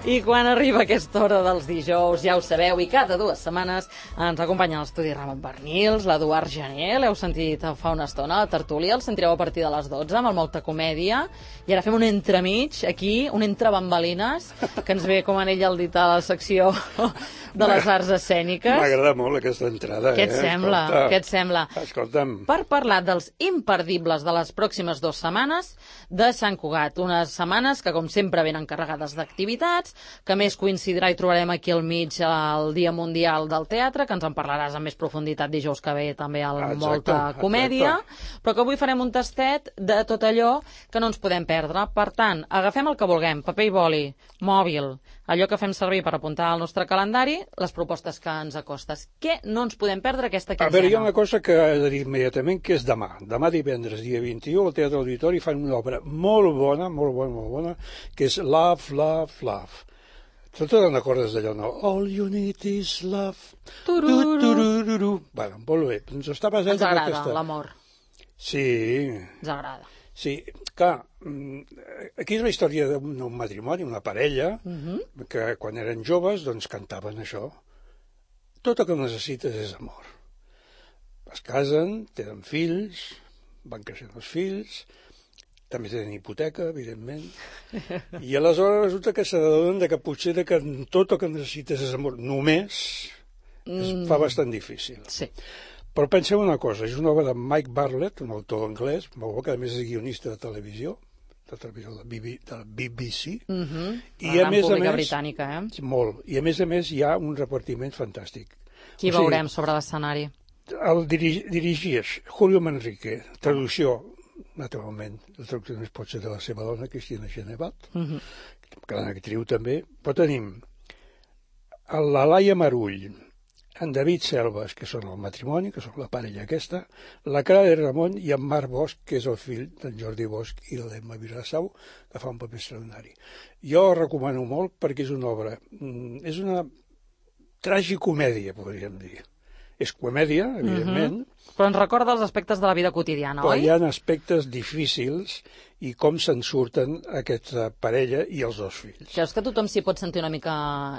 I quan arriba aquesta hora dels dijous, ja ho sabeu, i cada 2 setmanes ens acompanya a l'estudi Ramon Bernils, l'Eduard Gené, l'heu sentit fa una estona, la tertúlia, el sentireu a partir de les 12 amb el Molta Comèdia, i ara fem un entremig aquí, un entre bambalines, que ens ve com en ell el dit a la secció de les arts escèniques. M'agrada molt aquesta entrada. Què et sembla? Què et sembla? Escolta'm. Per parlar dels imperdibles de les pròximes 2 setmanes de Sant Cugat, unes setmanes que com sempre venen carregades d'activitats, que més coincidirà i trobarem aquí al mig el Dia Mundial del Teatre, que ens en parlaràs amb més profunditat dijous que ve també al Molta Comèdia, però que avui farem un tastet de tot allò que no ens podem perdre. Per tant, agafem el que vulguem, paper i boli, mòbil, allò que fem servir per apuntar al nostre calendari, les propostes que ens acostes. Què no ens podem perdre aquesta quinzena? A veure, hi ha una cosa que he de dir immediatament, que és demà. Demà divendres, dia 21, al Teatre Auditori fan una obra molt bona, que és Love, Love, Love. Tu te'n recordes d'allò, no? All you need is love. Tururururu. Bueno, molt bé. Ens està basat ens agrada l'amor. Sí. Ens agrada. Sí, clar, aquí és la història d'un matrimoni, una parella, que quan eren joves, doncs cantaven això. Tot el que necessites és amor. Es casen, tenen fills, van creixent els fills, també tenen hipoteca, evidentment, i aleshores resulta que s'adonen que potser que tot el que necessites és amor només, es fa bastant difícil. Sí. Però penseu una cosa, és una obra de Mike Bartlett, un autor anglès, molt bo, que a més és guionista de televisió de la BBC, i a més britànica, molt, i a més hi ha un repartiment fantàstic. Qui veurem sobre l'escenari? El dirigeix Julio Manrique, traducció, naturalment, la traducció només pot ser de la seva dona, Cristina Genevat, gran actriu també, però tenim la Laia Marull, en David Selves, que són el matrimoni, que són la parella aquesta, la Clara Ramon i en Marc Bosch, que és el fill d'en Jordi Bosch i de l'Emma Vilassau, que fa un paper extraordinari. Jo el recomano molt perquè és una obra, és una tragicomèdia, podríem dir. És comèdia, evidentment. Però ens recorda els aspectes de la vida quotidiana, oi? Però hi ha aspectes difícils i com se'n surten aquesta parella i els dos fills. Creus que tothom s'hi pot sentir una mica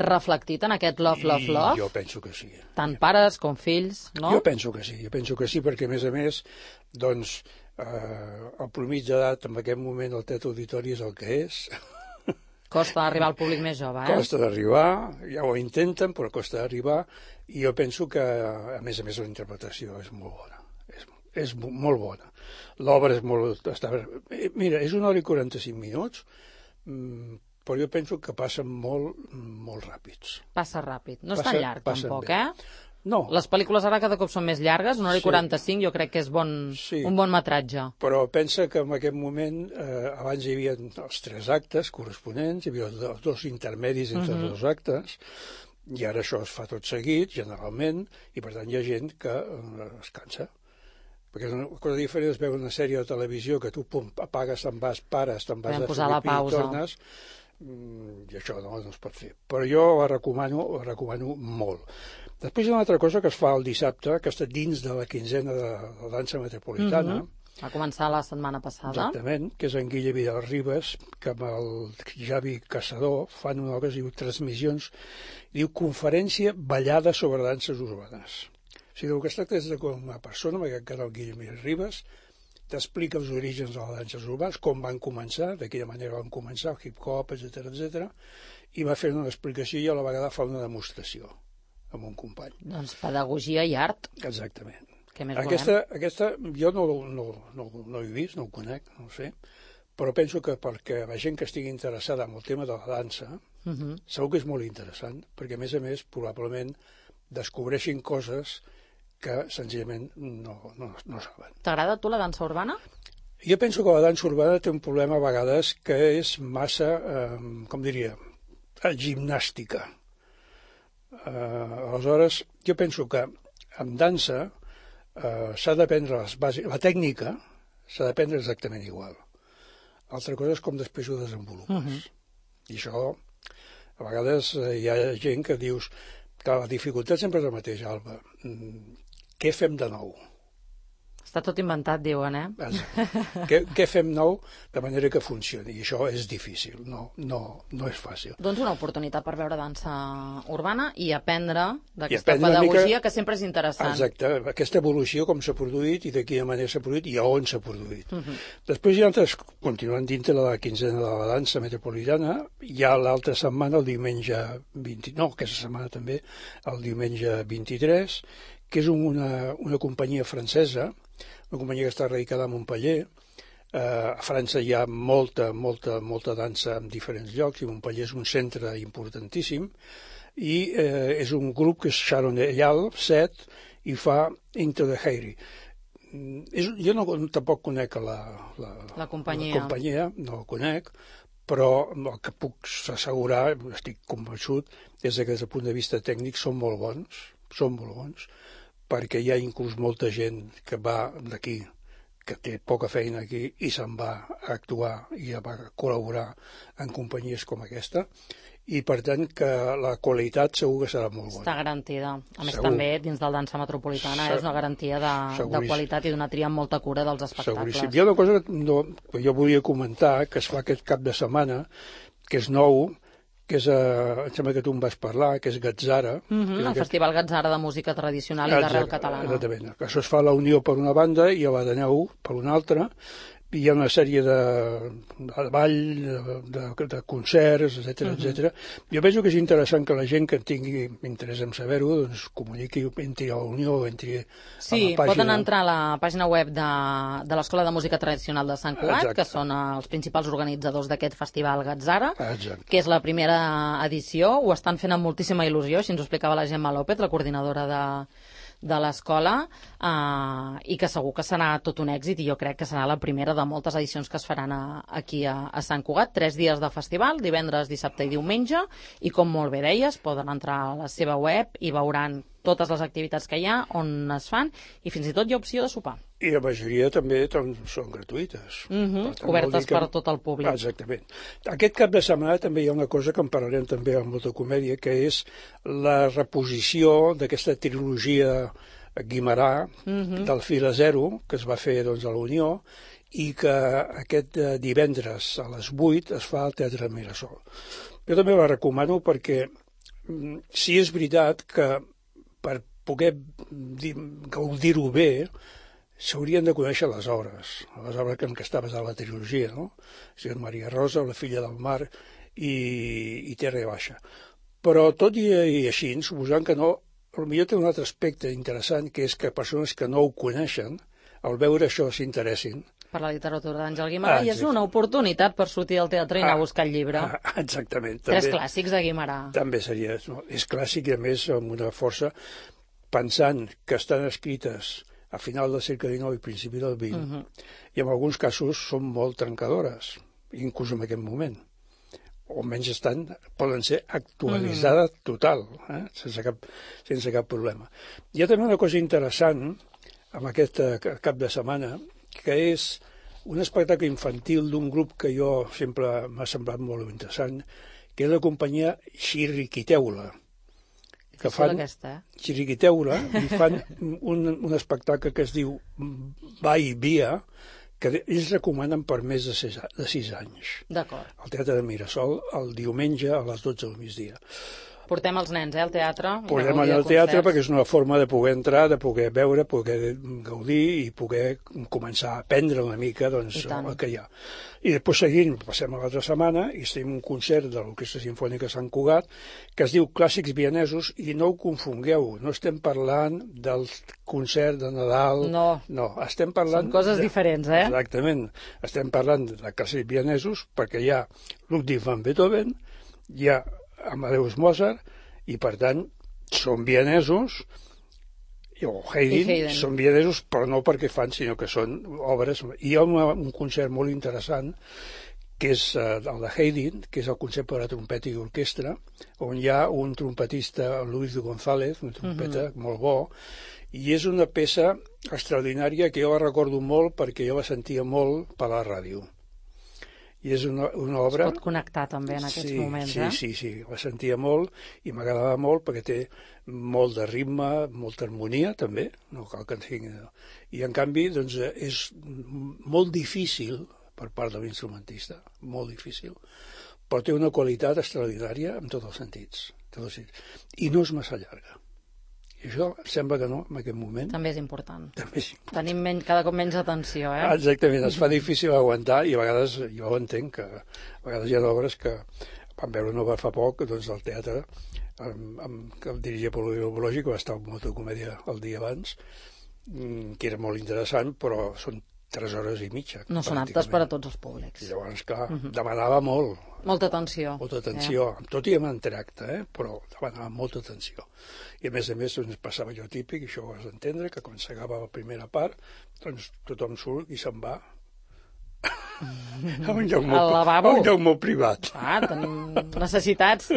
reflectit en aquest love, love, love? Jo penso que sí. Tant pares com fills, no? Jo penso que sí, perquè a més, doncs, el promig d'edat en aquest moment el Teatre Auditori és el que és. Costa d'arribar al públic més jove, Costa d'arribar, ja ho intenten, però costa d'arribar, i jo penso que, a més, la interpretació és molt bona. És molt bona. L'obra és molt... Mira, és 1 hora i 45 minuts, però jo penso que passen molt ràpids. Passa ràpid. No és tan llarg, tampoc, No. Les pel·lícules ara cada cop són més llargues, 1 hora i 45, jo crec que és un bon metratge. Però pensa que en aquest moment, abans hi havia els 3 actes corresponents, hi havia els 2 intermedis entre els 2 actes, i ara això es fa tot seguit, generalment, i per tant hi ha gent que es cansa. Perquè una cosa diferent és veure una sèrie de televisió que tu apagues, te'n vas, pares, te'n vas a fer pipí i tornes, i això no es pot fer. Però jo la recomano molt. Després hi ha una altra cosa que es fa el dissabte, que està dins de la quinzena de la dansa metropolitana. Va començar la setmana passada. Exactament, que és en Guille Vidal Ribas, que amb el Javi Caçador fan una cosa que es diu transmissions, diu conferència ballada sobre danses urbanes. O sigui, el que es tracta és de una persona, perquè encara el Guille Vidal Ribas, t'explica els orígens de les danses urbanes, com van començar, de quina manera van començar, el hip-hop, etc, i va fer una explicació i a la vegada fa una demostració amb un company. Doncs pedagogia i art. Exactament. Què més Aquesta jo no ho he vist, no ho conec, no ho sé, però penso que perquè la gent que estigui interessada en el tema de la dansa, segur que és molt interessant, perquè a més, probablement descobreixin coses que senzillament no saben. T'agrada a tu la dansa urbana? Jo penso que la dansa urbana té un problema a vegades que és massa, com diria, gimnàstica. Aleshores, jo penso que en dansa s'ha d'aprendre les bases, la tècnica s'ha d'aprendre exactament igual. Altra cosa és com després ho desenvolupes. I això, a vegades hi ha gent que dius que la dificultat sempre és la mateixa, Alba. Què fem de nou? Està tot inventat, diuen, Què fem nou de manera que funcioni? I això és difícil, no és fàcil. Doncs una oportunitat per veure dansa urbana i aprendre d'aquesta pedagogia que sempre és interessant. Exacte, aquesta evolució, com s'ha produït i de quina manera s'ha produït i a on s'ha produït. Després hi ha altres, continuant dintre de la quinzena de la dansa metropolitana, hi ha l'altra setmana, el diumenge 20, no, aquesta setmana també, el diumenge 23, que és una companyia francesa, una companyia que està radicada a Montpellier. A França hi ha molta dansa en diferents llocs i Montpellier és un centre importantíssim i és un grup que és Sharon Eyal, 7, i fa Into the Heirie. Jo tampoc conec la companyia, no la conec, però el que puc assegurar, estic convençut, és que des del punt de vista tècnic són molt bons, perquè hi ha inclús molta gent que va d'aquí, que té poca feina aquí i se'n va a actuar i va col·laborar en companyies com aquesta, i per tant que la qualitat segur que serà molt bona. Està garantida. A més també dins del dansa metropolitana és una garantia de qualitat i d'una tria amb molta cura dels espectacles. Seguríssim. Hi ha una cosa que jo volia comentar, que es fa aquest cap de setmana, que és nou, que és, em sembla que tu em vas parlar, que és Gatzara. El Festival Gatzara de música tradicional i d'arrel catalana. Exactament. Això es fa a la Unió per una banda i a l'Ateneu per una altra. Hi ha una sèrie de ball, de concerts, etc. Jo penso que és interessant que la gent que tingui interès en saber-ho doncs comuniqui, entri a la Unió, entri a la pàgina. Sí, poden entrar a la pàgina web de l'Escola de Música Tradicional de Sant Cugat, que són els principals organitzadors d'aquest festival Gatzara, que és la primera edició. Ho estan fent amb moltíssima il·lusió, així ens ho explicava la Gemma López, la coordinadora de l'escola, i que segur que serà tot un èxit, i jo crec que serà la primera de moltes edicions que es faran aquí a Sant Cugat. 3 dies de festival, divendres, dissabte i diumenge, i com molt bé deies, poden entrar a la seva web i veuran totes les activitats que hi ha, on es fan, i fins i tot hi ha opció de sopar. I la majoria també són gratuïtes. Obertes per tot el públic. Exactament. Aquest cap de setmana també hi ha una cosa que en parlarem també amb molta comèdia, que és la reposició d'aquesta trilogia Guimerà del Fil a Zero, que es va fer a la Unió, i que aquest divendres a les 8 es fa al Teatre Mirasol. Jo també la recomano perquè sí és veritat que per poder gaudir-ho bé s'haurien de conèixer les obres en què està basada la trilogia, no? O sigui, Maria Rosa, La filla del mar i Terra Baixa. Però tot i així, suposant que no, potser té un altre aspecte interessant, que és que persones que no ho coneixen, al veure això s'interessin. Per la literatura d'Àngel Guimerà, i és una oportunitat per sortir del teatre i anar a buscar el llibre. Exactament. 3 clàssics de Guimerà. També seria, és clàssic i a més amb una força, pensant que estan escrites a final del segle XIX i principi del XX, i en alguns casos són molt trencadores, inclús en aquest moment. O almenys poden ser actualitzades total, sense cap problema. Hi ha també una cosa interessant amb aquest cap de setmana, que és un espectacle infantil d'un grup que jo sempre m'ha semblat molt interessant, que és la companyia Xirriquiteula, que fan Xirriquiteula i fan un espectacle que es diu Va i Via, que ells recomanen per més de 6 anys. D'acord. Al Teatre de Mirasol, el diumenge a les 12 del migdia. Portem els nens, al teatre. Portem al teatre perquè és una forma de poder entrar, de poder veure, poder gaudir i poder començar a aprendre una mica el que hi ha. I després seguint, passem a l'altra setmana i estem un concert de l'Orquestra Simfònica Sant Cugat que es diu Clàssics Vienesos, i no ho confongueu, no estem parlant del concert de Nadal. No, estem parlant... Són coses diferents, Exactament. Estem parlant de Clàssics Vienesos perquè hi ha Ludwig van Beethoven, hi ha Amadeus Mozart, i per tant són vienesos, o Haydn, són vienesos, però no perquè fan, sinó que són obres. Hi ha un concert molt interessant, que és el de Haydn, que és el concert per a trompeta i orquestra, on hi ha un trompetista, Luis de González, una trompeta molt bo, i és una peça extraordinària que jo la recordo molt perquè jo la sentia molt per la ràdio. I és una obra... Es pot connectar també en aquests moments, Sí, la sentia molt i m'agradava molt perquè té molt de ritme, molta harmonia també, no cal que en tingui... I en canvi, doncs, és molt difícil per part de l'instrumentista, molt difícil, però té una qualitat extraordinària en tots els sentits. I no és massa llarga. I això em sembla que no, en aquest moment. També és important. També és important. Tenim cada cop menys atenció, Exactament, es fa difícil aguantar i a vegades, jo ho entenc, que a vegades hi ha obres que vam veure una fa poc, doncs, del teatre, que el dirigia Pol Biològic, va estar en molta comèdia el dia abans, que era molt interessant, però són 3 hores i mitja. No són aptes per a tots els públics. I llavors, clar, demanava molt. Molta atenció. Molta atenció, tot i amb entracte, però demanava molta atenció. I a més, doncs, passava allò típic, això ho has d'entendre, que quan s'acaba la primera part, doncs tothom surt i se'n va a un lloc molt privat. Tenim necessitats.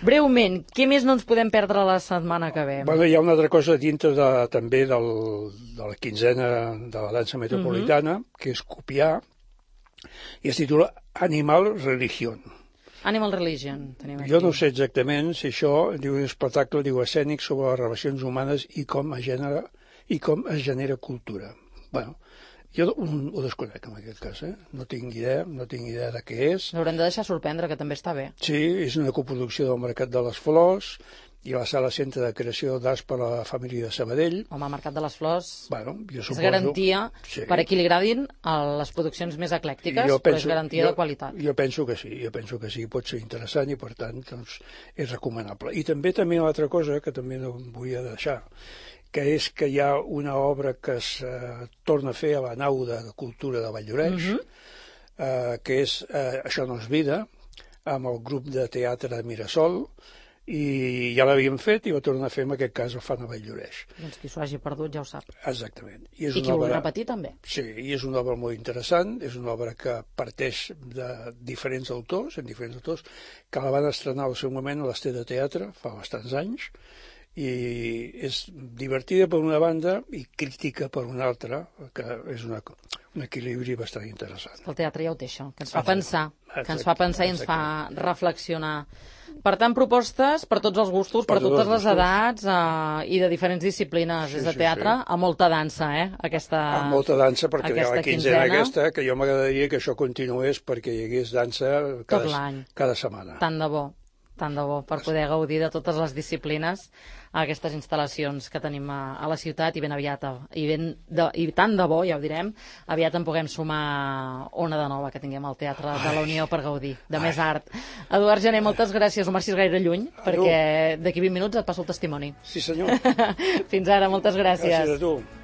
Breument, què més no ens podem perdre la setmana que ve? Bueno, hi ha una altra cosa dintre també de la quinzena de la dansa metropolitana, que és copiar, i es titula Animal Religion. Animal Religion, tenim aquí. Jo no sé exactament si això, diu un espectacle escènic sobre les relacions humanes i com es genera cultura. Bueno, jo ho desconec en aquest cas, no tinc idea de què és. L'haurem de deixar sorprendre, que també està bé. Sí, és una coproducció del Mercat de les Flors i la Sala Centre de Creació d'Arts per a la Família de Sabadell. Home, el Mercat de les Flors és garantia per a qui li agradin les produccions més eclèctiques, però és garantia de qualitat. Jo penso que sí, pot ser interessant i per tant doncs, és recomanable. I també una altra cosa que també no volia deixar, que és que hi ha una obra que es torna a fer a la nau de cultura de Valldoreix, que és Això no és vida, amb el grup de teatre de Mirasol, i ja l'havíem fet i va tornar a fer, en aquest cas, el fan a Valldoreix. Doncs qui s'ho hagi perdut ja ho sap. Exactament. I qui ho vulgui repetir també. Sí, i és una obra molt interessant, és una obra que parteix de diferents autors, que la van estrenar al seu moment a l'Estet de Teatre, fa bastants anys, i és divertida per una banda i crítica per una altra, que és un equilibri bastant interessant. El teatre ja ho té, això, que ens fa pensar, i ens fa reflexionar. Per tant, propostes per tots els gustos, per totes les edats i de diferents disciplines, des de teatre a molta dansa, aquesta quinzena. A molta dansa, perquè hi ha la quinzena aquesta, que jo m'agradaria que això continués perquè hi hagués dansa cada setmana. Tant de bo, per poder gaudir de totes les disciplines a aquestes instal·lacions que tenim a la ciutat i ben aviat, i tant de bo, ja ho direm, aviat en puguem sumar una de nova que tinguem al Teatre de la Unió per gaudir de més art. Eduard Gené, moltes gràcies, no marxis gaire lluny, perquè d'aquí 20 minuts et passo el testimoni. Sí, senyor. Fins ara, moltes gràcies. Gràcies a tu.